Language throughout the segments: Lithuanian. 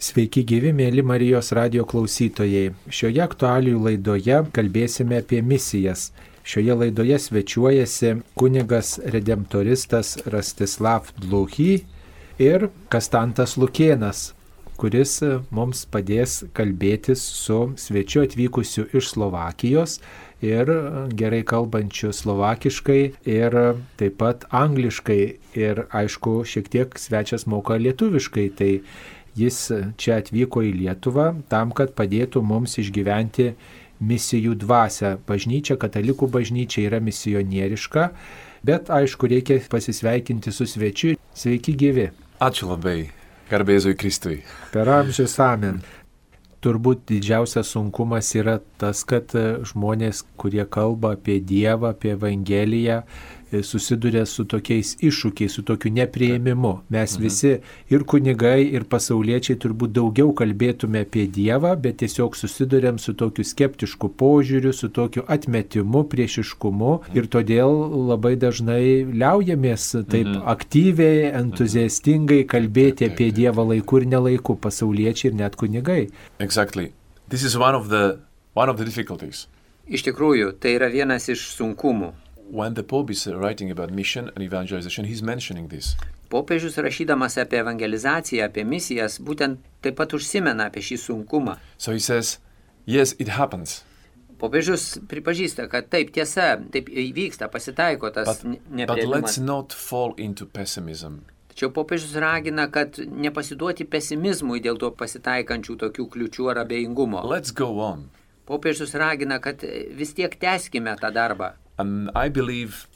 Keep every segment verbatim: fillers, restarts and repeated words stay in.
Sveiki gyvi, mėly Marijos radijo klausytojai. Šioje aktualijų laidoje kalbėsime apie misijas. Šioje laidoje svečiuojasi kunigas redemptoristas Rastislav Dluchy ir Kastantas Lukėnas, kuris mums padės kalbėtis su svečiu atvykusiu iš Slovakijos ir gerai kalbančiu slovakiškai ir taip pat angliškai ir aišku šiek tiek svečias moka lietuviškai. Tai jis čia atvyko į Lietuvą tam, kad padėtų mums išgyventi misijų dvasią. Bažnyčia, katalikų bažnyčia yra misionieriška, bet aišku reikia pasisveikinti su svečiu. Sveiki gyvi. Ačiū labai, garbė Jėzui Kristui. Per amžius amen. Turbūt didžiausias sunkumas yra tas, kad žmonės, kurie kalba apie Dievą, apie Evangeliją, susiduria su tokiais iššūkiais, su tokiu nepriėmimu. Mes mhm. visi ir kunigai, ir pasauliečiai turbūt daugiau kalbėtume apie Dievą, bet tiesiog susiduriam su tokiu skeptišku požiūriu, su tokiu atmetimu, priešiškumu ir todėl labai dažnai liaujamės taip mhm. aktyviai, entuziastingai kalbėti apie Dievą laiku ir nelaiku, pasauliečiai ir net kunigai. Exactly. This is one of the, one of the difficulties. Iš tikrųjų, tai yra vienas iš sunkumų. When the Pope is writing about mission and evangelization, he's mentioning this. Popiežius rašydamas apie evangelizaciją, apie misijas, būtent taip pat užsimena apie šį sunkumą. So he says, yes, it happens. Popiežius pripažįsta, kad taip tiesa, taip įvyksta, pasitaiko tas nepriėmimas. But let's not fall into pessimism. Tačiau popiežius ragina, kad nepasiduoti pesimizmui dėl to pasitaikančių tokių kliučių ar abejingumo. Let's go on. Popiežius ragina, kad vis tiek tęskime tą darbą. And I believe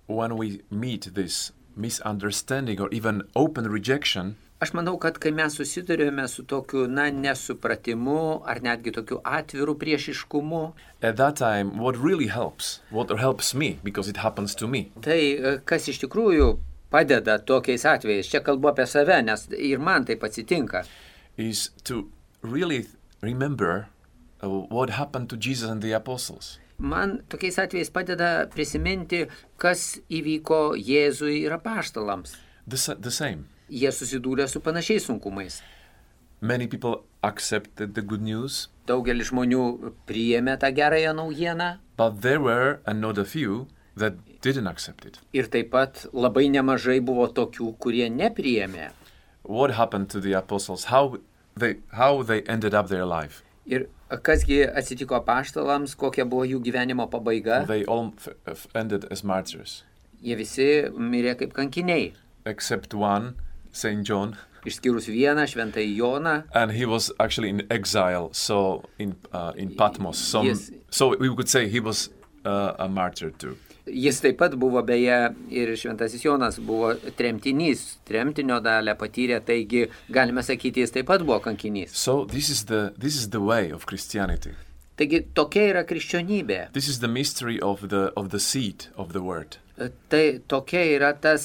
when we meet this misunderstanding or even open rejection, aš manau, kad kai mes susidurėme su tokiu, na, nesupratimu ar netgi tokiu atviru priešiškumu, at that time, what really helps, what helps me, because it happens to me. Tai kas iš tikrųjų padeda tokiais atvejais, čia kalbu apie save, nes ir man taip atsitinka, is to really remember uh, what happened to Jesus and the apostles. Man tokiais atvejais padeda prisiminti, kas įvyko Jėzui ir apaštalams. The, the same. Jie susidūrė su panašiais sunkumais. Many people accepted the good news. Daugelis žmonių priėmė tą gerąją naujieną. But there were another few that didn't accept it. Ir taip pat labai nemažai buvo tokių, kurie nepriėmė. What happened to the apostles? How they, how they ended up their life? Ir kasgi atsitiko apaštalams, kokia buvo jų gyvenimo pabaiga? They all f- f- ended as martyrs. Jie visi mirė kaip kankiniai. Except one, Saint John. Išskyrus vieną, šventąjį Joną. And he was actually in exile, so in uh, in Patmos. Some, yes. So we could say he was uh, a martyr too. Jis taip pat buvo beje ir šventasis Jonas buvo tremtinys, tremtinio dalę patyrė, taigi galime sakyti, jis taip pat buvo kankinys. So this is the this is the way of Christianity. Taigi tokia yra krikščionybė. This is the mystery of the of the seed of the word. Tai tokia yra tas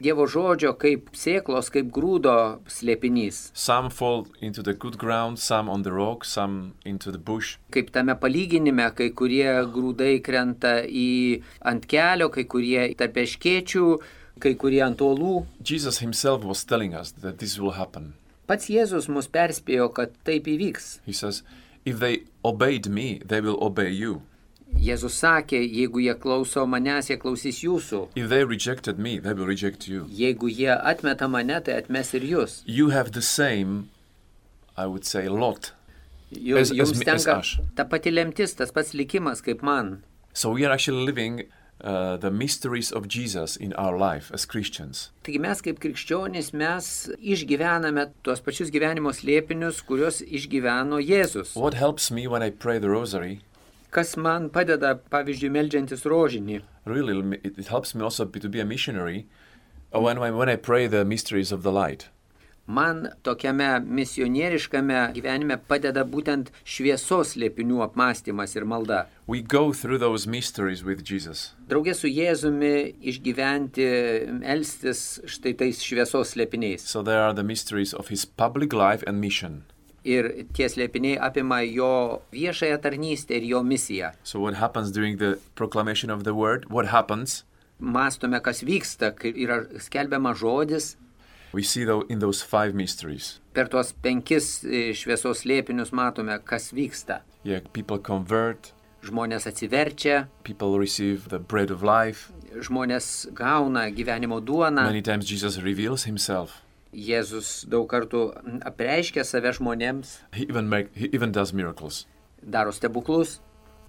Dievo žodžio kaip sėklos, kaip grūdo slėpinys. Some fall into the good ground, some on the rock, some into the bush. Kaip tame palyginime, kai kurie grūdai krenta į ant kelio, kai kurie tarp erškėčių, kai kurie ant uolų. Jesus himself was telling us that this will happen. Pats Jėzus mus perspėjo, kad taip įvyks. He says, if they obeyed me, they will obey you. Jėzus sakė, jeigu jie klauso manęs, jie klausys jūsų. If they rejected me, they will reject you. Jeigu jie atmeta mane, tai atmes ir jūs. You have the same, I would say, lot. Jūs, jums tenka ta pati lemtis, tas pats likimas kaip man. So we are actually living uh, the mysteries of Jesus in our life as Christians. Taigi mes kaip krikščionys, mes išgyvename tuos pačius gyvenimo slėpinius, kuriuos išgyveno Jėzus. What helps me when I pray the rosary? Kas man padeda, pavyzdžiui, meldžiantis rožinį. Really, it, it helps me also to be a missionary when, when I pray the mysteries of the light. Man tokiame misionieriškame gyvenime padeda būtent šviesos slėpinių apmąstymas ir malda. We go through those mysteries with Jesus. Draugė su Jėzumi išgyventi, melstis štai tais šviesos slėpiniais. So there are the mysteries of his public life and mission. Ir tie slėpiniai apima jo viešąją tarnystę ir jo misiją. So what happens during the proclamation of the word? What happens? Mąstome, kas vyksta, kai yra skelbiama žodis. We see though in those five mysteries. Per tuos penkis e, šviesos slėpinius matome, kas vyksta. Yeah, people convert, Žmonės atsiverčia, people receive the bread of life. žmonės gauna gyvenimo duoną. Many times Jesus reveals himself. Jėzus daug kartų apreiškia save žmonėms, He even make, he even does miracles. daro stebuklus.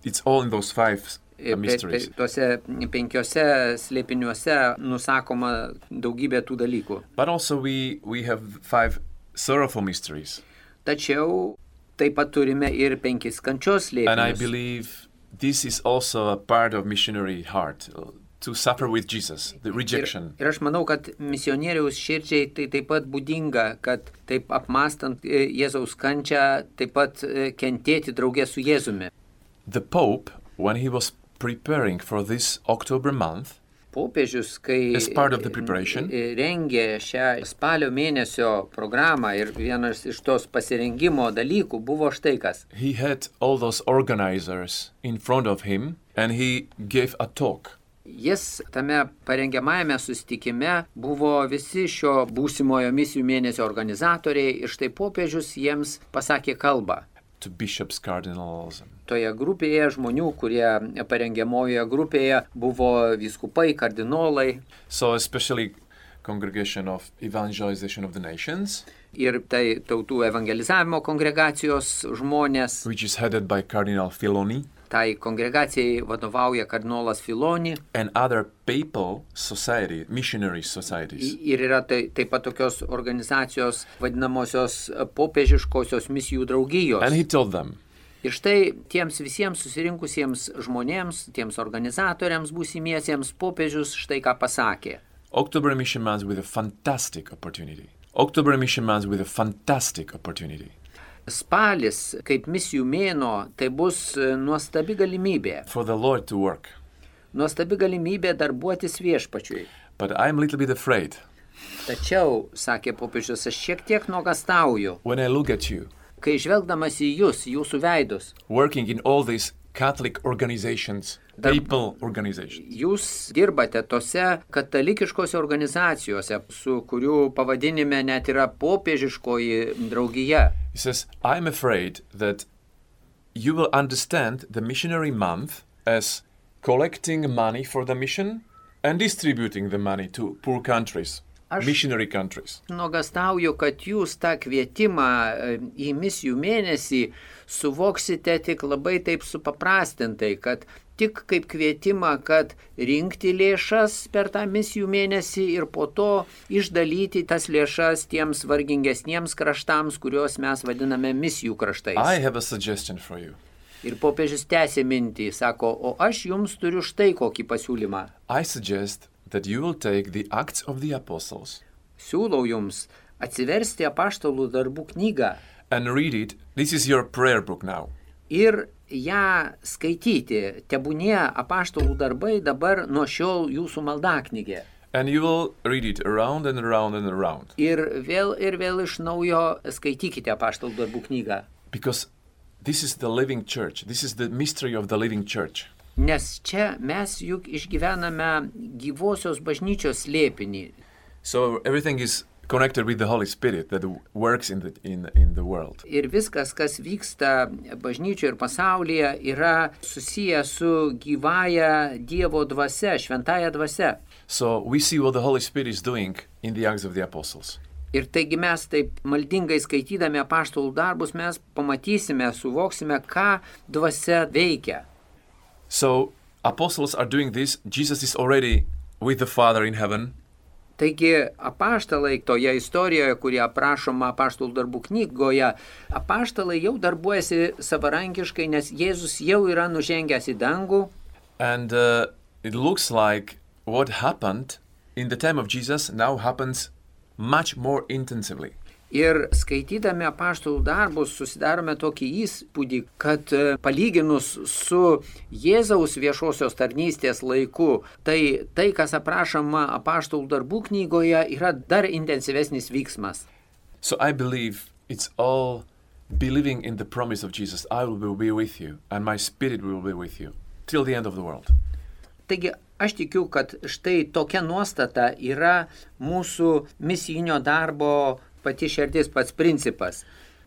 It's all in those five Ir uh, pe- mysteries. pe- Tuose penkiose slėpiniuose nusakoma daugybė tų dalykų. But also we we have five sorrowful mysteries. Tačiau taip pat turime ir penkis kančios And I slėpinius. believe this is also a part of missionary heart, uh, to suffer with Jesus, the Ir, rejection. ir aš manau, kad misionieriaus širdžiai tai taip pat būdinga, kad taip apmastant e, Jėzaus kančią, taip pat e, kentėti draugė su Jėzumi. The Pope, when he was preparing for this October month, Popiežius, kai As part of the preparation. e, rengė šią spalio mėnesio programą ir vienas iš tos pasirengimo dalykų buvo štai kas. he had all those organizers in front of him and he gave a talk. Jis tame parengiamajame susitikime buvo visi šio būsimojo misijų mėnesio organizatoriai ir štai popiežius jiems pasakė kalbą. To bishops, cardinals. Toje grupėje žmonių, kurie parengiamojoje grupėje buvo vyskupai, kardinolai So especially congregation of evangelization of the nations, ir tai tautų evangelizavimo kongregacijos žmonės. which is headed by Cardinal Filoni, Tai kongregacijai vadovauja kardinolas Filoni and other papal society, missionary societies. ir yra tai, taip pat tokios organizacijos vadinamosios popiežiškosios misijų draugijos. And he told them, Ir štai tiems visiems susirinkusiems žmonėms, tiems organizatoriams būsimiesiems popiežius štai ką pasakė. October Mission Month with a fantastic opportunity. October Mission Month with a fantastic opportunity. Spalis, kaip misijų mėnuo, tai bus e, nuostabi galimybė. For the Lord to work. Nuostabi galimybė darbuotis viešpačiui. But I'm a little bit afraid Tačiau, sakė popiežius, aš šiek tiek nuogastauju, when I look at you kai žvelgdamas į jūs, jūsų veidus, working in all these Catholic organizations, Dar- papal organizations. jūs dirbate tose katalikiškose organizacijose, su kurių pavadinime net yra popiežiškoji draugija. He says, I'm afraid that you will understand the missionary month as collecting money for the mission and distributing the money to poor countries, Aš- missionary countries. Nuogastauju, kad jūs tą kvietimą e, į misijų mėnesį suvoksite tik labai taip supaprastintai, kad tik kaip kvietimą, kad rinkti lėšas per tą misijų mėnesį ir po to išdalyti tas lėšas tiems vargingesniems kraštams, kuriuos mes vadiname misijų kraštais. I have a suggestion for you. Ir popiežius tęsė mintį, sako, o aš jums turiu štai kokį pasiūlymą. I suggest that you will take the Acts of the Apostles Siūlau jums atsiversti apaštalų darbų knygą and read it. This is your prayer book now. ir ją skaityti. Tebūnie apaštalų darbai dabar nuo šiol jūsų maldaknygė. And you will read it around and around and around. Ir vėl ir vėl iš naujo skaitykite apaštalų darbų knygą. Because this is the living church. This is the mystery of the living church. Nes čia mes juk išgyvename gyvosios bažnyčios slėpinį. So everything is connected with the Holy Spirit that works in the, in, in the world. Ir viskas, kas vyksta bažnyčioje ir pasaulyje, yra susiję su gyvąja Dievo dvasia, šventąja dvasia. So we see what the Holy Spirit is doing in the Acts of the Apostles. Ir taigi mes taip maldingai skaitydami apaštalų darbus mes pamatysime, suvoksime, ką dvasia veikia. So apostles are doing this. Jesus is already with the Father in heaven. Taigi apaštalai toje istorijoje, kuri aprašoma apaštalų darbų knygoje, apaštalai jau darbuojasi savarankiškai, nes Jėzus jau yra nužengęs į dangų. And uh, it looks like what happened in the time of Jesus now happens much more intensively. Ir skaitydami apaštalų darbus susidarome tokį įspūdį, kad e, palyginus su Jėzaus viešosios tarnystės laiku, tai tai, kas aprašoma apaštalų darbų knygoje, yra dar intensyvesnis vyksmas. So I believe it's all believing in the promise of Jesus. I will be with you and my spirit will be with you till the end of the world. Taigi aš tikiu, kad štai tokia nuostata yra mūsų misijinio darbo pati širdis, pats principas.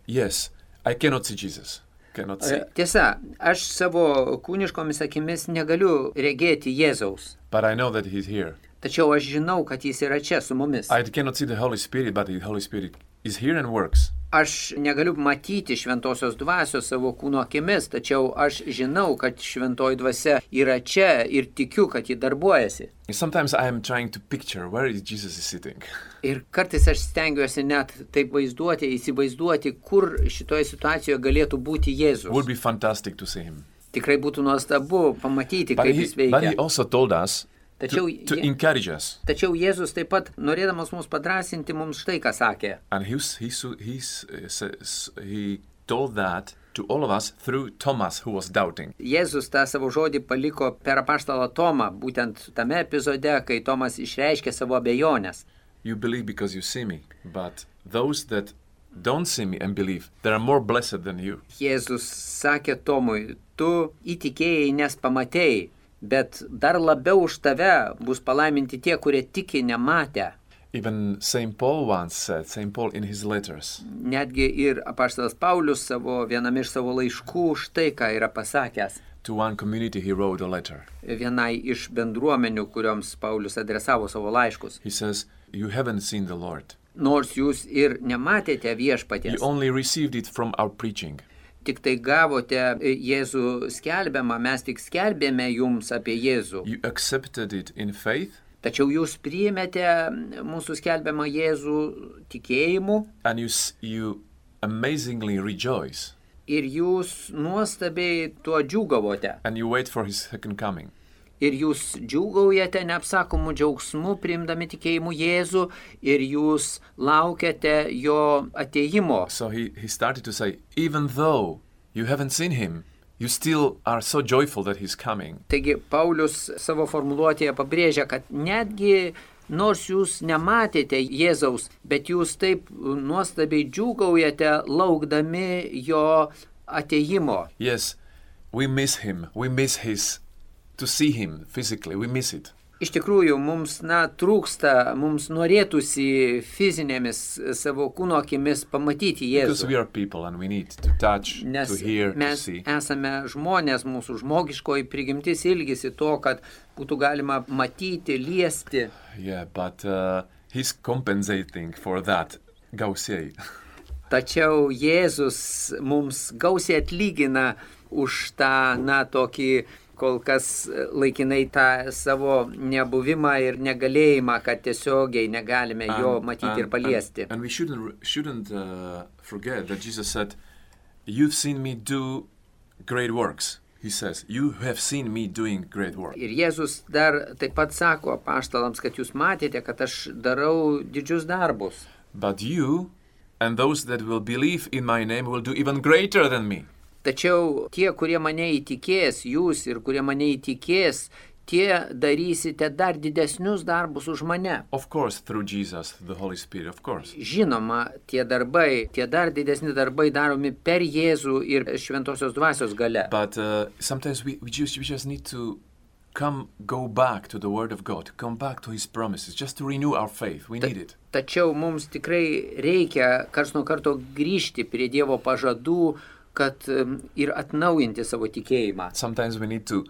Yes, I cannot see Jesus. Cannot see. Tiesa, aš savo kūniškomis akimis negaliu regėti Jėzaus. But I know that he's here. Tačiau aš žinau, kad jis yra čia su mumis. I cannot see the Holy Spirit, but the Holy Spirit is here and works. Aš negaliu matyti šventosios dvasios savo kūno akimis, tačiau aš žinau, kad šventoji dvasia yra čia ir tikiu, kad ji darbuojasi. Sometimes I am trying to picture where is Jesus is sitting. Ir kartais aš stengiuosi net taip vaizduoti, įsivaizduoti, kur šitoje situacijoje galėtų būti Jėzus. Would be fantastic to see him. Tikrai būtų nuostabu pamatyti, But kaip he, jis veikia. but he also told us Tačiau, to, to Je- encourage us. tačiau Jėzus taip pat, norėdamas mus padrasinti, mums štai ką sakė. And he's, he's, he's, uh, says- he told that to all of us through Thomas, who was doubting. Jėzus tą savo žodį paliko per apaštalą Tomą, būtent tame epizode, kai Tomas išreiškė savo abejonės. You believe because you see me, but those that don't see me and believe, they are more blessed than you. Jėzus sakė Tomui, tu įtikėjai, nes pamatėjai, bet dar labiau už tave bus palaiminti tie, kurie tiki nematę. Even Saint Paul once said, Saint Paul in his letters, Netgi ir apaštalas Paulius savo viename iš savo laiškų štai ką yra pasakęs. to one community he wrote a letter. Vienai iš bendruomenių, kurioms Paulius adresavo savo laiškus. He says, you haven't seen the Lord. Nors jūs ir nematėte You viešpaties, only received it from our preaching. tik tai gavote Jėzų skelbiamą, mes tik skelbėme jums apie Jėzų. You accepted it in faith, Tačiau jūs priėmėte mūsų skelbiamą Jėzų tikėjimu and you, s- you amazingly rejoice, ir jūs nuostabiai tuo džiūgavote. and you wait for his second coming. Ir jūs džiūgaujate neapsakomų džiaugsmų, priimdami tikėjimu Jėzų, ir jūs laukiate jo atėjimo. So he, he started to say, even though you haven't seen him, you still are so joyful that he's coming. Taigi Paulius savo formuluotėje pabrėžia, kad netgi nors jūs nematėte Jėzaus, bet jūs taip nuostabiai džiūgaujate laukdami jo atėjimo. Yes, we miss him. We miss his, to see him physically. We miss it. Iš tikrųjų, mums, na, trūksta, mums norėtųsi fizinėmis savo kūno akimis pamatyti Because Jėzų. we are people and we need to touch, Nes to hear, to mes see. esame žmonės, mūsų žmogiškoji prigimtis ilgisi to, kad būtų galima matyti, liesti. Yeah, but uh, he's compensating for that. Gausiai. Tačiau Jėzus mums gausiai atlygina už tą, na, tokį kol kas laikinai tą savo nebuvimą ir negalėjimą, kad tiesiogiai negalime jo And- matyti and- ir paliesti. And, and we shouldn't shouldn't uh, forget that Jesus said, "You've seen me do great works." He says, "You have seen me doing great work." Ir Jėzus dar taip pat sako apaštalams, kad jūs matėte, kad aš darau didžius darbus. But you and those that will believe in my name will do even greater than me. Tačiau tie, kurie mane įtikės, jūs ir kurie mane įtikės, tie darysite dar didesnius darbus už mane. Of course, through Jesus, the Holy Spirit, of course. Žinoma, tie darbai, tie dar didesni darbai daromi per Jėzų ir šventosios dvasios gale. But uh, sometimes we, we, just, we just need to come, go back to the Word of God, come back to His promises, just to renew our faith. We need it. Tačiau mums tikrai reikia karts nuo karto grįžti prie Dievo pažadų, kad um, ir atnaujinti savo tikėjimą. Sometimes we need to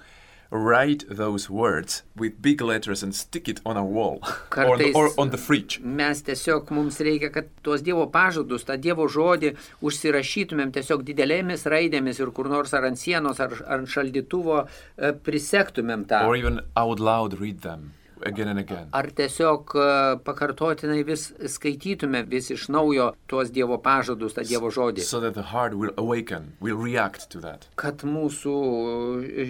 write those words with big letters and stick it on a wall or, on the, Kartais or on the fridge. mes tiesiog mums reikia, kad tuos Dievo pažadus, tą Dievo žodį užsirašytumėm tiesiog didelėmis raidėmis ir kur nors ar ant sienos, ar, ar ant šaldytuvo e, prisektumėm tą. Or even out loud read them again and again. Ar tiesiog e, pakartotinai vis skaitytume vis iš naujo tuos Dievo pažadus, tą Dievo žodį. So that the heart will awaken, will react to that. Kad mūsų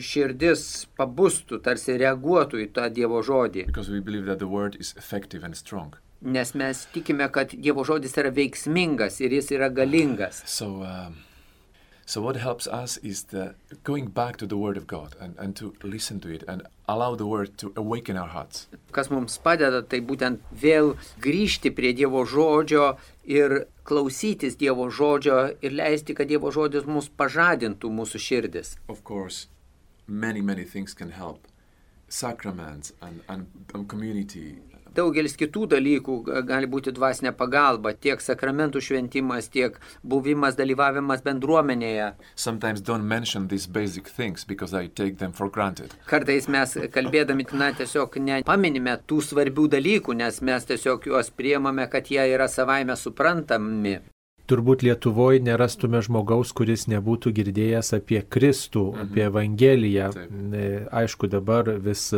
širdis pabustų, tarsi reaguotų į tą Dievo žodį. Because we believe that the word is effective and strong. Nes mes tikime, kad Dievo žodis yra veiksmingas ir jis yra galingas. So, um, so what helps us is the going back to the Word of God and, and to listen to it and allow the Word to awaken our hearts. Kas mums padeda, tai būtent vėl grįžti prie Dievo žodžio ir klausytis Dievo žodžio ir leisti, kad Dievo žodis mus pažadintų mūsų širdis. Of course, many, many things can help. sacraments and, and, and community. Daugelis kitų dalykų gali būti dvasinė pagalba, tiek sakramentų šventimas, tiek buvimas, dalyvavimas bendruomenėje. Sometimes don't mention these basic things because I take them for granted. Kartais mes kalbėdami, na, tiesiog nepaminime tų svarbių dalykų, nes mes tiesiog juos priimame, kad jie yra savaime suprantami. Turbūt Lietuvoje nerastume žmogaus, kuris nebūtų girdėjęs apie Kristų, mhm. apie Evangeliją. Taip. Aišku, dabar vis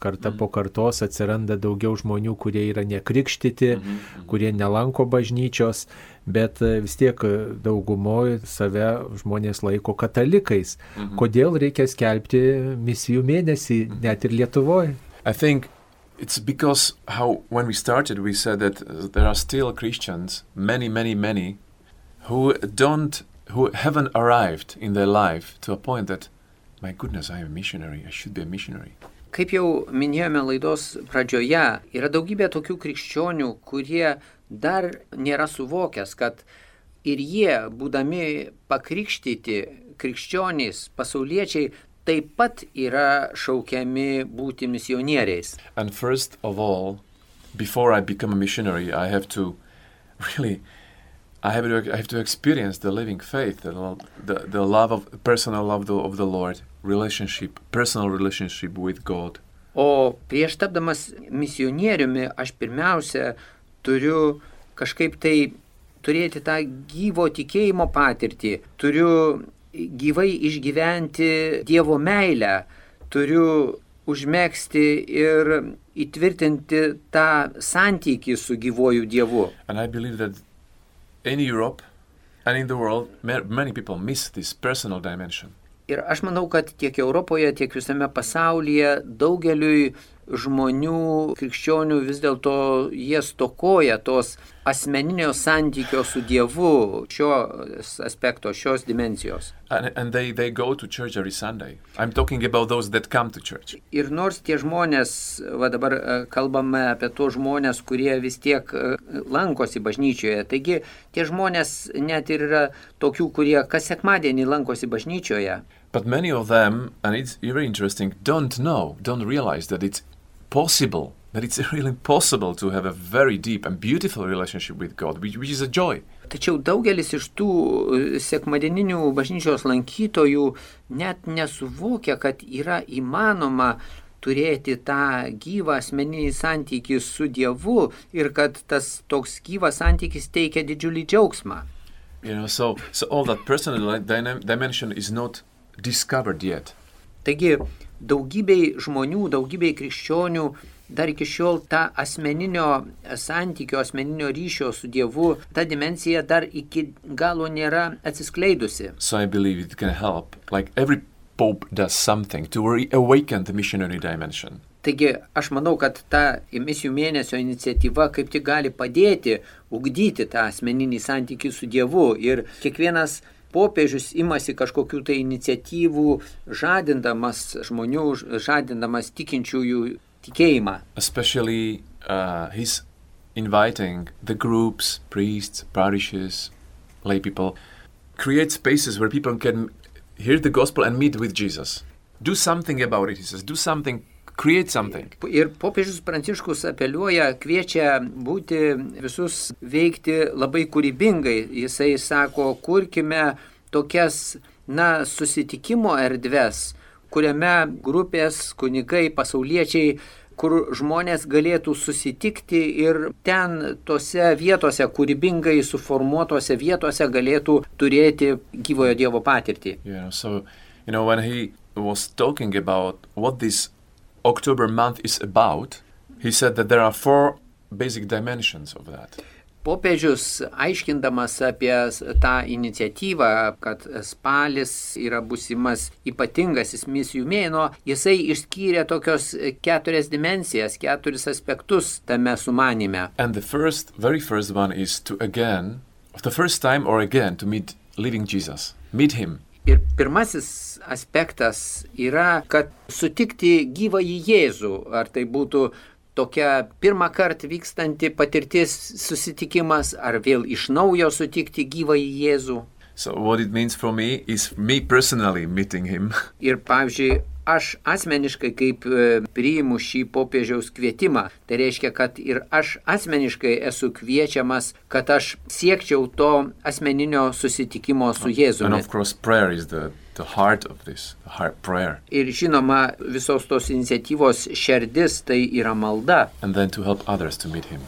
karta mhm. po kartos atsiranda daugiau žmonių, kurie yra nekrikštyti, mhm. Mhm. kurie nelanko bažnyčios, bet vis tiek daugumoje save žmonės laiko katalikais. Mhm. Kodėl reikia skelbti misijų mėnesį mhm. net ir Lietuvoje? I think it's because how when we started we said that there are still Christians, many, many, many, who don't, who haven't arrived in their life to a point that, my goodness, I am a missionary, I should be a missionary. Kaip jau minėjome laidos pradžioje, yra daugybė tokių krikščionių, kurie dar nėra suvokęs, kad ir jie, būdami pakrikštyti krikščionys, pasauliečiai, taip pat yra šaukiami būti misionieriais. And first of all, before I become a missionary, I have to really I have to, I have to experience the living faith, the, the, the love of, personal love of the, of the Lord, relationship, personal relationship with God. O prieš tapdamas misionieriumi, aš pirmiausia turiu kažkaip tai turėti tą gyvo tikėjimo patirtį, turiu gyvai išgyventi Dievo meilę, turiu užmegzti ir įtvirtinti tą santykį su gyvuoju Dievu. And I believe that in Europe and in the world, many people miss this personal dimension. Ir aš manau, kad tiek Europoje, tiek visame pasaulyje daugeliui žmonių, krikščionių vis dėlto jie stokoja tos asmeninio santykio su Dievu, šios aspekto, šios dimensijos. And, and they, they go to church every Sunday. I'm talking about those that come to church. Ir nors tie žmonės, va dabar kalbame apie tos žmonės, kurie vis tiek lankosi bažnyčioje. Taigi tie žmonės net ir yra tokių, kurie kas sekmadienį lankosi bažnyčioje. But many of them, and it's very interesting, don't know, don't realize that it's possible, that it's really possible to have a very deep and beautiful relationship with God, which, which is a joy. Tačiau daugelis iš tų sekmadieninių bažnyčios lankytojų net nesuvokia, kad yra įmanoma turėti tą gyvą asmeninį santykį su Dievu ir kad tas toks gyvas santykis teikia didžiulį džiaugsmą. You know, so, so all that personal dimension is not discovered yet. Taigi, daugybei žmonių, daugybei krikščionių dar iki šiol ta asmeninio santykio, asmeninio ryšio su Dievu, ta dimensija dar iki galo nėra atsiskleidusi. So I believe it can help, like every pope does something to reawaken the missionary dimension. Taigi, aš manau, kad ta misijų mėnesio iniciatyva kaip tik gali padėti ugdyti tą asmeninį santykį su Dievu ir kiekvienas popiežius imasi kažkokių tai iniciatyvų, žadindamas žmonių, žadindamas tikinčiųjų tikėjimą. Especially uh, he's inviting the groups, priests, parishes, lay people, create spaces where people can hear the gospel and meet with Jesus. Do something about it, he says. Do something, create something. Ir popiežius Pranciškus apeliuoja, kviečia būti visus veikti labai kūrybingai. Jisai sako, kurkime tokias, na, susitikimo erdves, kuriame grupės, kunigai, pasauliečiai, kur žmonės galėtų susitikti ir ten tose vietose, kūrybingai suformuotose vietose galėtų turėti gyvojo Dievo patirtį. Yeah, so, you know, when he was talking about what this October month is about, he said that there are four basic dimensions of that. Popiežius, aiškindamas apie tą iniciatyvą, kad spalis yra būsimas ypatingasis misijų mėnuo, jisai išskyrė tokios keturias dimensijas, keturis aspektus tame sumanime. And the first, very first one is to again, the first time or again, to meet living Jesus, meet him. Ir pirmasis aspektas yra, kad sutikti gyvąjį Jėzų, ar tai būtų tokia pirmą kartą vykstanti patirtis susitikimas, ar vėl iš naujo sutikti gyvąjį Jėzų. So what it means for me is me personally meeting him. Ir pavyzdžiui, aš asmeniškai kaip priimu šį popiežiaus kvietimą, tai reiškia, kad ir aš asmeniškai esu kviečiamas, kad aš siekčiau to asmeninio susitikimo su Jėzumi. And of course, prayer is the, the heart of this, the heart prayer. Ir žinoma, visos tos iniciatyvos šerdis tai yra malda. And then to help others to meet him.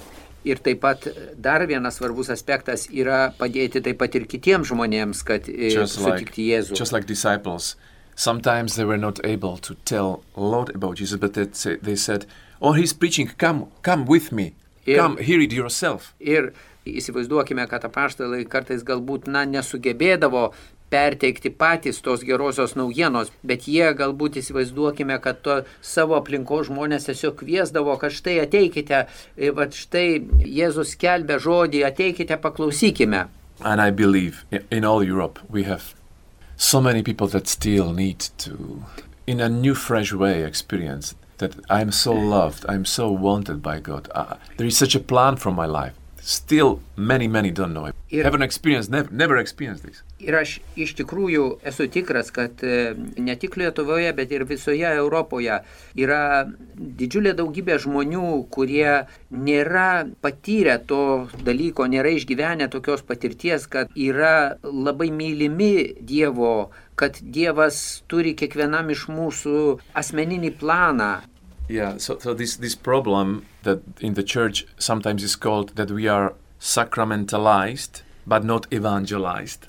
Ir taip pat dar vienas svarbus aspektas yra padėti taip pat ir kitiems žmonėms, kad just sutikti like, Jėzų. Just like disciples, sometimes they were not able to tell a lot about Jesus, but they, say, they said, oh, he's preaching, come, come with me, ir, come, hear it yourself. Ir įsivaizduokime, kad apaštalai kartais galbūt na, nesugebėdavo perteikti patys tos gerosios naujienos, bet jie galbūt įsivaizduokime, kad to savo aplinkos žmonės tiesiog kviesdavo, kad štai ateikite, va štai Jėzus skelbia žodį, ateikite, paklausykime. And I believe in all Europe we have so many people that still need to, in a new, fresh way, experience that I'm so loved, I'm so wanted by God. Uh, there is such a plan for my life. Still, many, many don't know it. Ir, haven't experienced, never, never experienced this. Ir aš iš tikrųjų esu tikras, kad ne tik Lietuvoje, bet ir visoje Europoje yra didžiulė daugybė žmonių, kurie nėra patyrę to dalyko, nėra išgyvenę tokios patirties, kad yra labai mylimi Dievo, kad Dievas turi kiekvienam iš mūsų asmeninį planą. Yeah, so, so this, this problem that in the church sometimes is called that we are sacramentalized but not evangelized.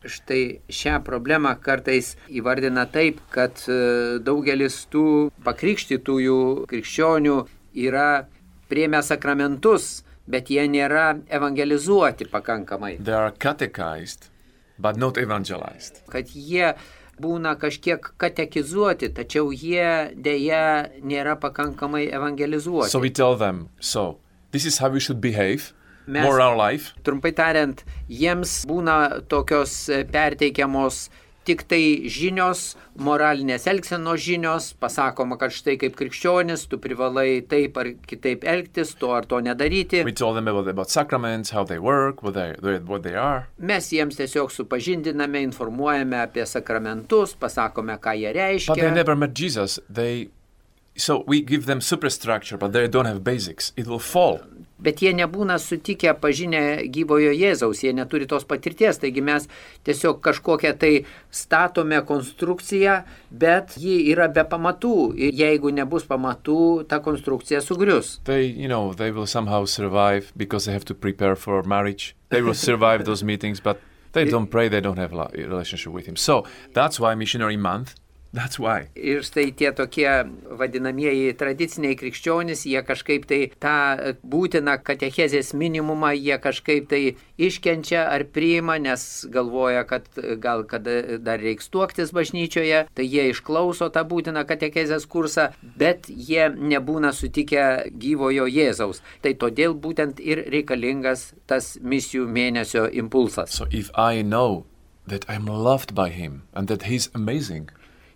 Štai šią problemą kartais įvardina taip, kad daugelis tų pakrikštytųjų krikščionių yra priėmę sakramentus, bet jie nėra evangelizuoti pakankamai. They are catechized but not evangelized. Kad jie būna kažkiek katekizuoti, tačiau jie dėja nėra pakankamai evangelizuoti. So we tell them, so this is how we should behave, Mes, more our life. Trumpai tariant, jiems būna tokios perteikiamos tik tai žinios, moralinės elgsenos žinios, pasakoma, kad štai kaip krikščionis, tu privalai taip ar kitaip elgtis, to ar to nedaryti. We told them about, about sacraments, how they work, what they, what they are. Mes jiems tiesiog supažindiname, informuojame apie sakramentus, pasakome, ką jie reiškia. But they never met Jesus. They, so we give them superstructure, but they don't have basics. It will fall. Bet jie nebūna sutikę pažinę gyvojo Jėzaus, jie neturi tos patirties, taigi mes tiesiog kažkokią tai statome konstrukciją, bet ji yra be pamatų ir jeigu nebus pamatų, ta konstrukcija sugrius. They, you know, they will somehow survive because they have to prepare for marriage. They will survive those meetings, but they don't pray, they don't have a relationship with him. So that's why Missionary Month. That's why. Ir štai tie tokie vadinamieji tradiciniai krikščionys, jie kažkaip tai tą būtiną katechezės minimumą, jie kažkaip tai iškenčia ar priima, nes galvoja, kad gal kada dar reiks tuoktis bažnyčioje, tai jie išklauso tą būtiną katechezės kursą, bet jie nebūna sutikę gyvojo Jėzaus. Tai todėl būtent ir reikalingas tas misijų mėnesio impulsas. So if I know that I'm loved by him and that he's amazing,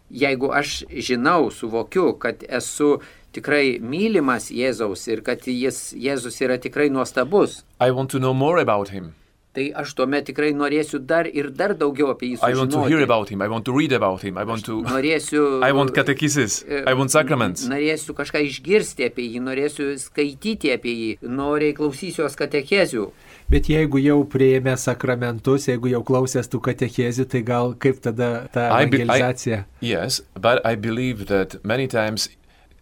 jeigu aš žinau, suvokiu, kad esu tikrai mylimas Jėzaus ir kad jis, Jėzus yra tikrai nuostabus, I want to know more about him. Tai aš tuomet tikrai norėsiu dar ir dar daugiau apie jį sužinoti. I want to hear about him, I want to read about him, I want to... Norėsiu... I want catechesis, I want sacraments. Norėsiu kažką išgirsti apie jį, norėsiu skaityti apie jį, noriai klausysiuos katechezių. Bet jeigu jau priėmė sakramentus, jeigu jau klausęs tų katechezių, tai gal kaip tada ta evangelizacija? I be, I, yes, but I believe that many times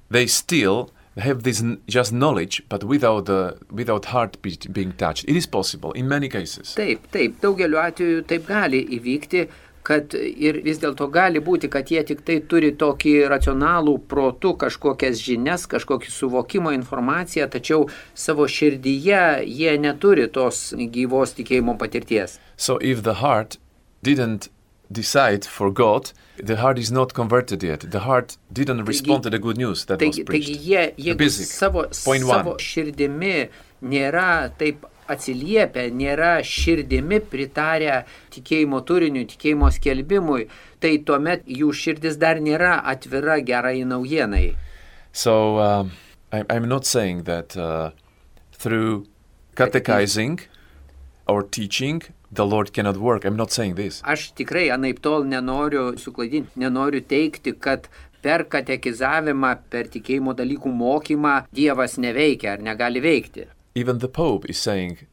they still have this just knowledge, but without the without heart be, being touched. It is possible in many cases. Taip, taip, daugeliu atveju taip gali įvykti, kad ir vis dėlto gali būti, kad jie tik tai turi tokį racionalų protų, kažkokias žinias, kažkokį suvokimo informaciją, tačiau savo širdyje jie neturi tos gyvos tikėjimo patirties. So if the heart didn't decide for God, the heart is not converted yet. The heart didn't taigi, respond to the good news that taigi, was preached. Taigi jie, jie savo, savo širdimi nėra taip atsiliepia, nėra širdimi pritarę tikėjimo turiniui, tikėjimo skelbimui, tai tuomet jų širdis dar nėra atvira gerai naujienai. So um, I, I'm not saying that uh, through catechizing or teaching the Lord cannot work. I'm not saying this. Aš tikrai anaip tol nenoriu suklaidinti, nenoriu teikti, kad per katekizavimą, per tikėjimo dalykų mokymą Dievas neveikia ar negali veikti. Even the Pope is saying,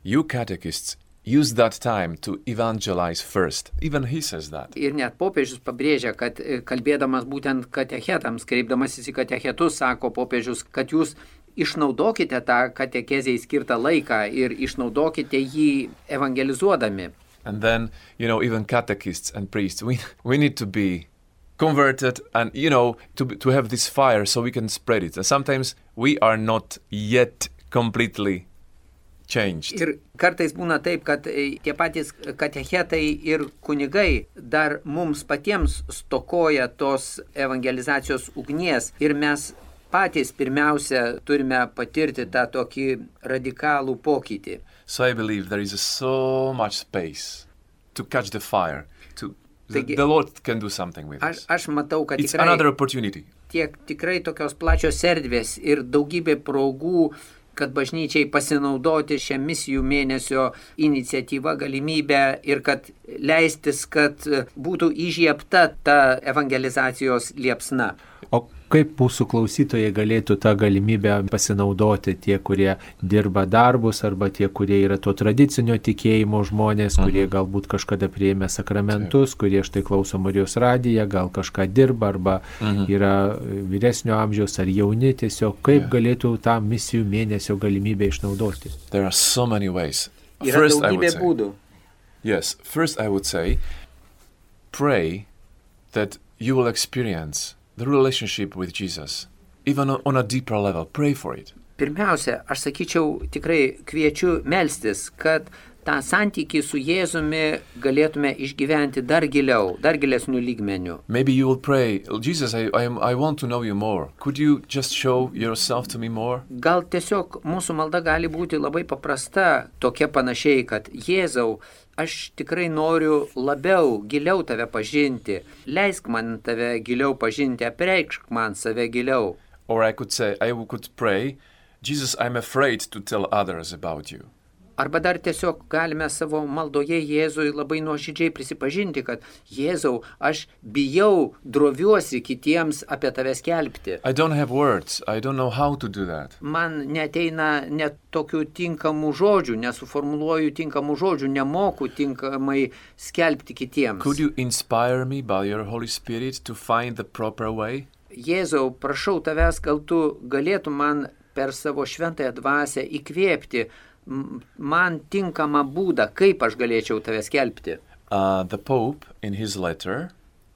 you catechists, use that time to evangelize first. Even he says that. Ir net popiežius pabrėžia, kad kalbėdamas būtent katechetams, kreipdamasis į katechetus, sako popiežius, kad jūs išnaudokite tą katekezei skirtą laiką ir išnaudokite jį evangelizuodami. And then, you know, even catechists and priests, we, we need to be converted and, you know, to, to have this fire so we can spread it. And sometimes we are not yet completely changed. Ir kartais būna taip, kad tie patys katechetai ir kunigai dar mums patiems stokoja tos evangelizacijos ugnies ir mes patys pirmiausia turime patirti tą tokį radikalų pokytį. So I believe there is so much space to catch the fire. To the, Taigi, the Lord can do something with aš, us. aš matau, kad It's tikrai, another opportunity. tiek, tikrai tokios plačios erdvės ir daugybė progų, kad bažnyčiai pasinaudoti šią misijų mėnesio iniciatyvą, galimybę ir kad leistis, kad būtų įžiebta ta evangelizacijos liepsna. O kaip mūsų klausytojai galėtų tą galimybę pasinaudoti, tie, kurie dirba darbus, arba tie, kurie yra to tradicinio tikėjimo žmonės, kurie mhm. galbūt kažkada priėmė sakramentus, Taip. kurie štai klauso Marijos radiją, gal kažką dirba, arba mhm. yra vyresnio amžiaus ar jauni, tiesiog kaip yeah. galėtų tą misijų mėnesio galimybę išnaudoti. There are so many ways. Yra First, I would daugybė say, būdų. yes, first I would say, pray that you will experience the relationship with Jesus, even on a deeper level. Pray for it. Pirmiausia, aš sakyčiau, tikrai kviečiu melstis, kad tą santykį su Jėzumi galėtume išgyventi dar giliau, dar gilesnių lygmenių. Maybe you will pray, Jesus, I, I, I want to know you more. Could you just show yourself to me more? Gal tiesiog mūsų malda gali būti labai paprasta, tokia panašiai, kad Jėzau, aš tikrai noriu labiau, giliau tave pažinti. Leisk man tave giliau pažinti, apreikšk man save giliau. Or I could say, I could pray, Jesus, I'm afraid to tell others about you. Arba dar tiesiog galime savo maldoje Jėzui labai nuoširdžiai prisipažinti, kad Jėzau, aš bijau, droviuosi kitiems apie tave skelbti. I don't have words. I don't know how to do that. Man neteina net tokių tinkamų žodžių, nesuformuluoju tinkamų žodžių, nemoku tinkamai skelbti kitiems. Could you inspire me by your Holy Spirit to find the proper way? Jėzau, prašau tavęs, gal tu galėtum man per savo šventąją dvasią įkvėpti man tinkamą būdą, kaip aš galėčiau tave skelbti. Uh, the Pope, in his letter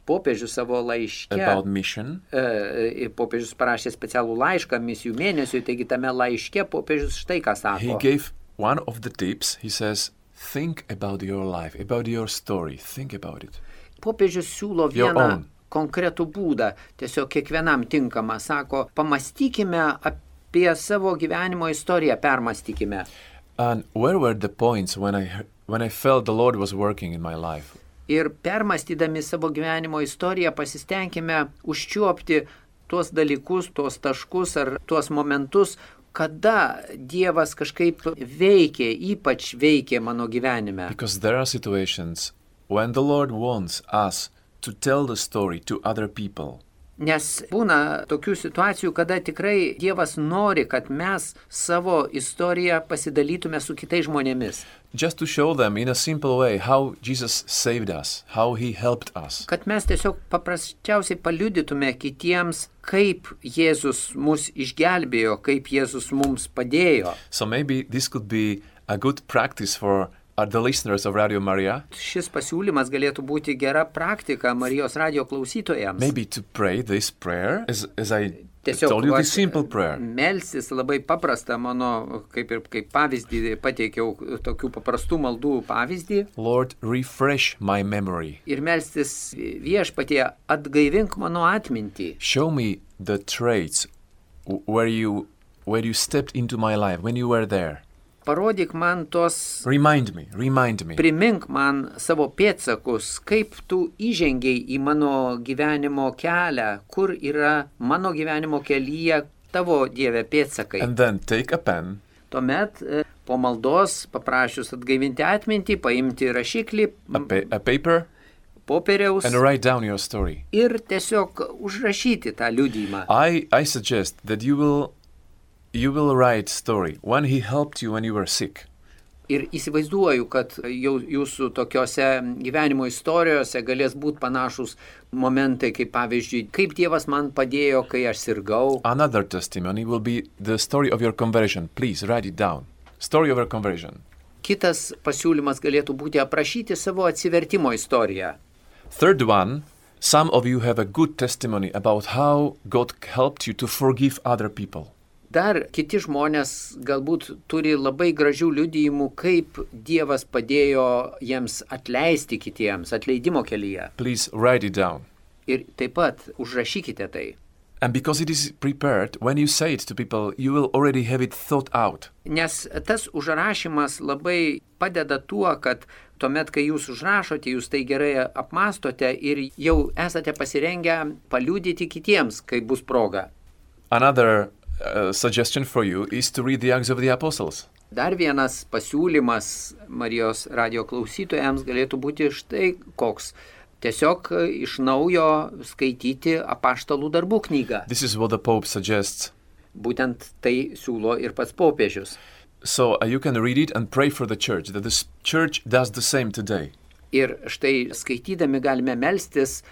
Popiežius savo laiške, about mission, e, popiežius parašė specialų laišką misijų mėnesiui, taigi tame laiške popiežius štai ką sako. he gave one of the tips. He says, think about your life, about your story. Think about it. Popiežius siūlo Your vieną own. konkretų būdą, tiesiog kiekvienam tinkamą, sako, pamastykime apie savo gyvenimo istoriją, permastykime. And where were the points when I heard, when I felt the Lord was working in my life? Ir permastydami savo gyvenimo istoriją pasistengime užčiuopti tuos dalykus, tuos taškus ar tuos momentus, kada Dievas kažkaip veikė, ypač veikė mano gyvenime. Because there are situations when the Lord wants us to tell the story to other people. Nes būna tokių situacijų, kada tikrai Dievas nori, kad mes savo istoriją pasidalytume su kitais žmonėmis. Just to show them in a simple way how Jesus saved us, how he helped us. Kad mes tiesiog paprasčiausiai paliudytume kitiems, kaip Jėzus mus išgelbėjo, kaip Jėzus mums padėjo. So maybe this could be a good practice for uh, the listeners of Radio Maria. Šis pasiūlymas galėtų būti gera praktika Marijos radio klausytojams. Maybe to pray this prayer, as, as I Tiesiog told you, va, this simple prayer. Melstis labai paprasta, mano, kaip ir kaip pavyzdį, pateikiau tokių paprastų maldų pavyzdį. Lord, refresh my memory. Ir melstis Viešpatie, atgaivink mano atmintį. Show me the traits where you, where you stepped into my life, when you were there. Parodyk man tos, Remind me, remind me. primink man savo pėdsakus, kaip tu įžengiai į mano gyvenimo kelią, kur yra mano gyvenimo kelyje tavo Dieve pėdsakai. And then take a pen. Tuomet e, po maldos paprašius atgaivinti atmintį, paimti rašiklį, A, pa- a paper, popieriaus and write down your story. ir tiesiog užrašyti tą liudijimą. I, I suggest that you will, you will write story when he helped you when you were sick. Ir įsivaizduoju, kad jau jūsų tokiose gyvenimo istorijose galės būti panašus momentai, kaip pavyzdžiui, kaip Dievas man padėjo, kai aš sirgau. Another testimony will be the story of your conversion. Please write it down. Story of your conversion. Kitas pasiūlymas galėtų būti aprašyti savo atsivertimo istoriją. Third one, some of you have a good testimony about how God helped you to forgive other people. Dar kiti žmonės galbūt turi labai gražių liudijimų, kaip Dievas padėjo jiems atleisti kitiems, atleidimo kelyje. Please write it down. Ir taip pat užrašykite tai. And because it is prepared, when you say it to people, you will already have it thought out. Nes tas užrašymas labai padeda tuo, kad tuomet, kai jūs užrašote, jūs tai gerai apmastote ir jau esate pasirengę paliudyti kitiems, kai bus proga. Another uh, suggestion for you is to read the Acts of the Apostles. Dar vienas pasiūlymas Marijos radijo klausytojams galėtų būti štai koks. Tiesiog iš naujo skaityti apaštalų darbų knygą. This is what the Pope suggests. Būtent tai siūlo ir pats popiežius. So uh, you can read it and pray for the church, that the church does the same today. Ir štai skaitydami galime melstis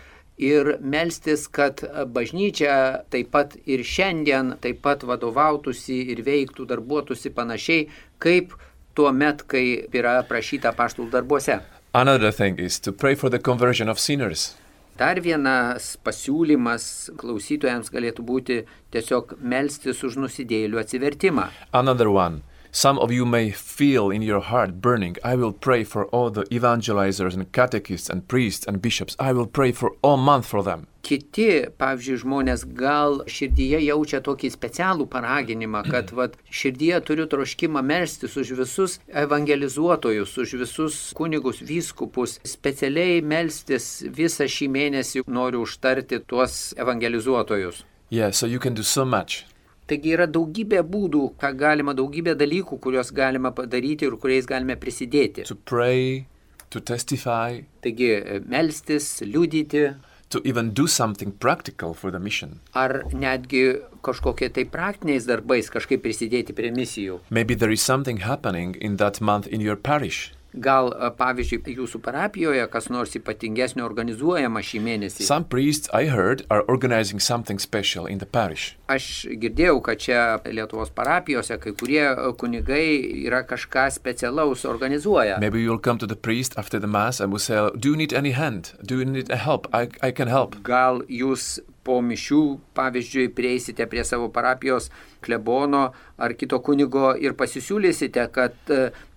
ir melstis, kad bažnyčia taip pat ir šiandien taip pat vadovautųsi ir veiktų, darbuotųsi panašiai, kaip tuo met, kai yra prašyta apaštalų darbuose. Another thing is to pray for the conversion of sinners. Dar vienas pasiūlymas klausytojams galėtų būti tiesiog melstis už nusidėjėlių atsivertimą. Another one. Some of you may feel in your heart burning. I will pray for all the evangelizers and catechists and priests and bishops. I will pray for all month for them. Kiti, pavyzdžiui, žmonės gal širdyje jaučia tokį specialų paraginimą, kad vat, širdyje turiu troškimą melstis už visus evangelizuotojus, už visus kunigus, vyskupus, specialiai melstis visą šį mėnesį noriu užtarti tuos evangelizuotojus. Yeah, so you can do so much. Taigi yra daugybė būdų, ką galima, daugybė dalykų, kuriuos galima padaryti ir kuriais galime prisidėti. To pray, to testify. Taigi melstis, liudyti. To even do something practical for the mission. Ar netgi kažkokie tai praktiniais darbais kažkaip prisidėti prie misijų. Maybe there is something happening in that month in your parish. Gal, pavyzdžiui, jūsų parapijoje kas nors ypatingesnio organizuojama šį mėnesį. Some priests, I heard, are organizing something special in the parish. Aš girdėjau, kad čia Lietuvos parapijose kai kurie kunigai yra kažką specialaus organizuoja. Maybe you'll come to the priest after the mass and will say, do you need any hand? Do you need a help? I, I can help. Gal jūs po mišių, pavyzdžiui, prieisite prie savo parapijos klebono ar kito kunigo ir pasisiūlysite, kad,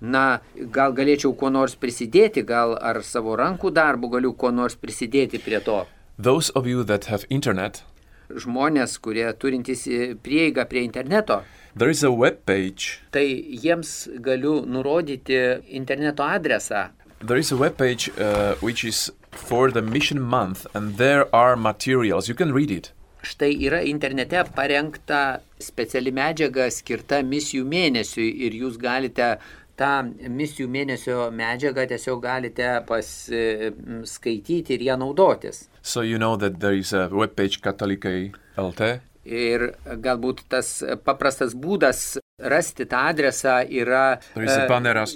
na, gal galėčiau kuo nors prisidėti, gal ar savo rankų darbų galiu kuo nors prisidėti prie to. Those of you that have internet, žmonės, kurie turintys prieigą prie interneto, there is a web page. Tai jiems galiu nurodyti interneto adresą. There is a web page uh, which is for the mission month and there are materials. You can read it. Štai yra internete parengta speciali medžiaga skirta misijų mėnesiui ir jūs galite tą misijų mėnesio medžiagą tiesiog galite paskaityti ir ją naudotis. So you know that there is a web page Katolikai L T. Ir galbūt tas paprastas būdas rasti tą adresą yra banneras,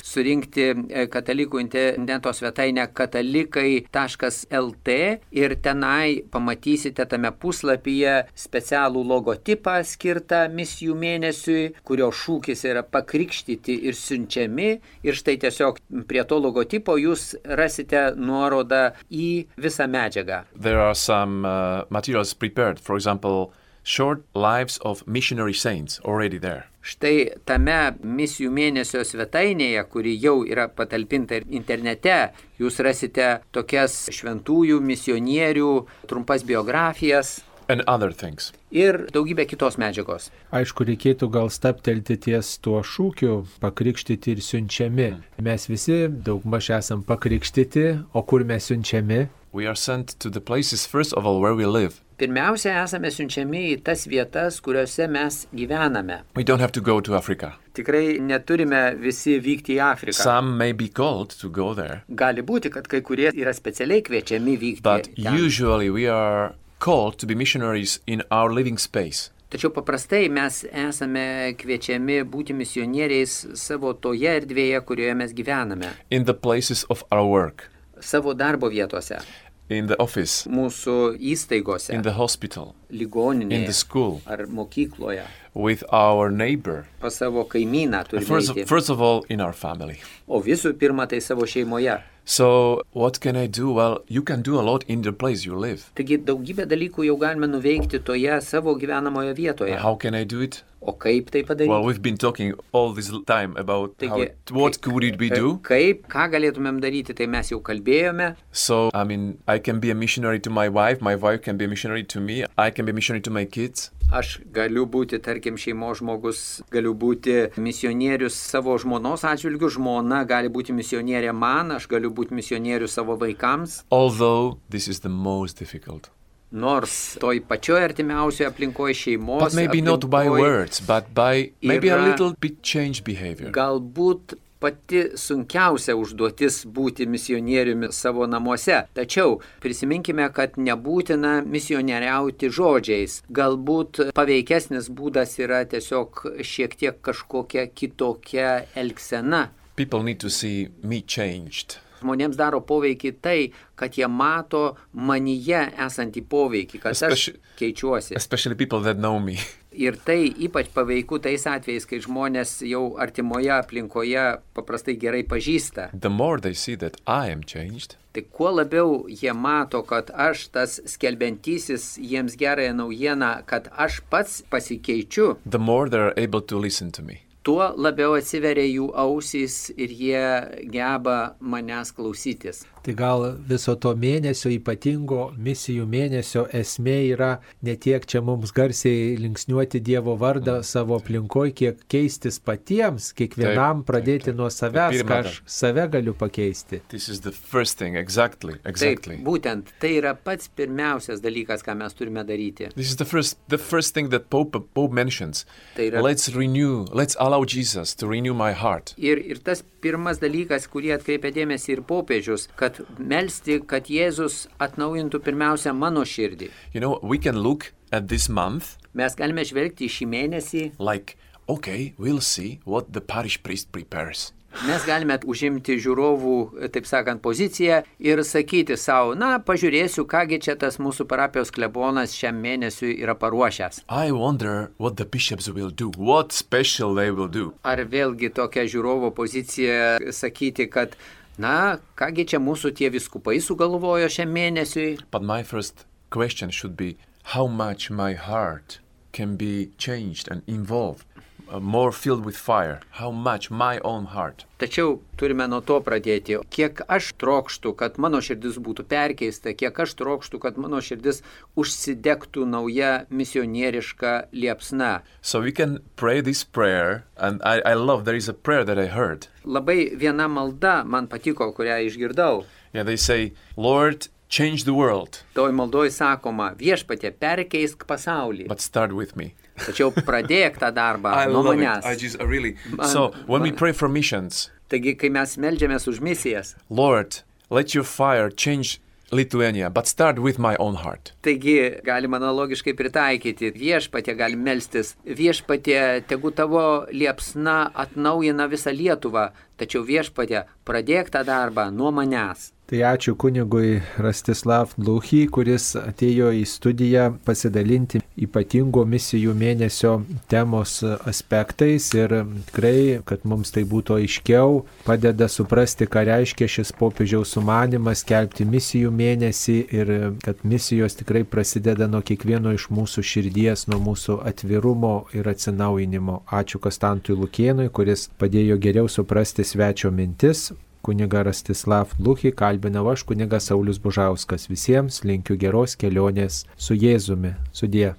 surinkti katalikų interneto svetainę katalikai taškas el tė ir tenai pamatysite tame puslapyje specialų logotipą skirtą misijų mėnesiui, kurio šūkis yra pakrikštyti ir siunčiami. Ir štai tiesiog prie to logotipo jūs rasite nuorodą į visą medžiagą. There are some uh, materials prepared, for example, short lives of missionary saints already there. Štai tame misijų mėnesio svetainėje, kuri jau yra patalpinta internete, jūs rasite tokias šventųjų, misionierių, trumpas biografijas. And other things. Ir daugybė kitos medžiagos. Aišku, reikėtų gal staptelti ties tuo šūkiu pakrikštyti ir siunčiami. Mes visi daugmaž esam pakrikštyti, o kur mes siunčiami? We are sent to the places, first of all, where we live. Pirmiausia, esame siunčiami į tas vietas, kuriuose mes gyvename. We don't have to go to Africa. Tikrai neturime visi vykti į Afriką. Some may be called to go there. Gali būti, kad kai kurie yra specialiai kviečiami vykti But ten. usually we are called to be missionaries in our living space. Tačiau paprastai mes esame kviečiami būti misionieriais savo toje erdvėje, kurioje mes gyvename. In the places of our work. Savo darbo vietose. In the office. Mūsų įstaigose. In the hospital. Ligoninėje. In the school. Ar mokykloje. With our neighbor. Pas savo kaimyną turime First eiti. of, first of all, in our family. O visų pirma, tai savo šeimoje. So, what can I do? Well, you can do a lot in the place you live. Taigi daugybę dalykų jau galime nuveikti toje savo gyvenamoje vietoje. How can I do it? O kaip tai padaryti? Well, we've been talking all this time about Taigi, how it, what could it be do. Kaip, ką galėtumėm daryti, tai mes jau kalbėjome. So, I mean, I can be a missionary to my wife, my wife can be a missionary to me, I can be a missionary to my kids. Aš galiu būti, tarkim, šeimos žmogus, galiu būti misionierius savo žmonos atžvilgiu, žmona gali būti misionierė man, aš galiu būti misionierius savo vaikams. Although this is the most difficult. Nors toj pačioj artimiausioje aplinkoje šeimos But maybe not by words, but by maybe a yra little bit changed behavior. Galbūt pati sunkiausia užduotis būti misionieriumi savo namuose. Tačiau prisiminkime, kad nebūtina misionieriauti žodžiais. Galbūt paveikesnis būdas yra tiesiog šiek tiek kažkokia kitokia elgsena. People need to see me changed. Žmonėms daro poveikį tai, kad jie mato manyje esantį poveikį, kad Especially, aš keičiuosi. Especially people that know me. Ir tai ypač paveiku tais atvejais, kai žmonės jau artimoje aplinkoje paprastai gerai pažįsta. The more they see that I am changed, Tai kuo labiau jie mato, kad aš tas skelbiantysis jiems gerąją naujieną, kad aš pats pasikeičiu, the more they're able to listen to me. tuo labiau atsiveria jų ausys ir jie geba manęs klausytis. Tai gal viso to mėnesio, ypatingo misijų mėnesio esmė yra ne tiek čia mums garsiai linksniuoti Dievo vardą savo aplinkoje, kiek keistis patiems, kiekvienam Taip, pradėti taip, taip. nuo savęs, Pirma, ką aš save galiu pakeisti. This is the first thing, exactly, exactly. Taip, būtent tai yra pats pirmiausias dalykas, ką mes turime daryti. This is the first, the first thing that Pope, Pope mentions. Tai yra Let's renew, let's allow Jesus to renew my heart. Ir, ir tas pirmas dalykas, kurį atkreipia dėmesį ir popiežius, kad melsti, kad Jėzus atnaujintų pirmiausia mano širdį. You know, we can look at this month Mes galime žvelgti į šį mėnesį, like, okay, we'll see what the parish priest prepares. mes galime užimti žiūrovų, taip sakant, poziciją ir sakyti savo, na, pažiūrėsiu, kągi čia tas mūsų parapijos klebonas šiam mėnesiui yra paruošęs. I wonder what the bishops will do, what special they will do. Ar vėlgi tokia žiūrovo pozicija sakyti, kad na, kągi čia mūsų tie viskupai sugalvojo šiam mėnesiui. But my first question should be, how much my heart can be changed and involved, uh, more filled with fire, how much my own heart. Tačiau turime nuo to pradėti. Kiek aš trokštų, kad mano širdis būtų perkeista, kiek aš trokštų, kad mano širdis užsidegtų nauja misionieriška liepsna. So we can pray this prayer, and I, I love, there is a prayer that I heard. Labai viena malda man patiko, kurią išgirdau. Yeah, they say, Lord, change the world, Toj maldoj sakoma, viešpatie, perkeisk pasaulį. but start with me. Tačiau pradėk tą darbą I nuo love it. manęs. I just I really. Man- So when we man- pray for missions, Taigi, kai mes meldžiamės už misijas, Lord, let your fire change Lithuania, but start with my own heart. taigi galima analogiškai pritaikyti. Viešpatie gali melstis. Viešpatie, tegu tavo liepsna atnaujina visą Lietuvą. Tačiau viešpatie, pradėk tą darbą nuo manęs. Tai ačiū kunigui Rastislav Dluchy, kuris atėjo į studiją pasidalinti ypatingo misijų mėnesio temos aspektais ir tikrai, kad mums tai būtų aiškiau, padeda suprasti, ką reiškia šis popiežiaus sumanymas skelbti misijų mėnesį ir kad misijos tikrai prasideda nuo kiekvieno iš mūsų širdies, nuo mūsų atvirumo ir atsinaujinimo. Ačiū Kastantui Lukėnui, kuris padėjo geriau suprasti svečio mintis. Kuniga Rastislav Dluchy kalbinau aš, kunigas Saulius Bužauskas. Visiems linkiu geros kelionės su Jėzumi. Sudie.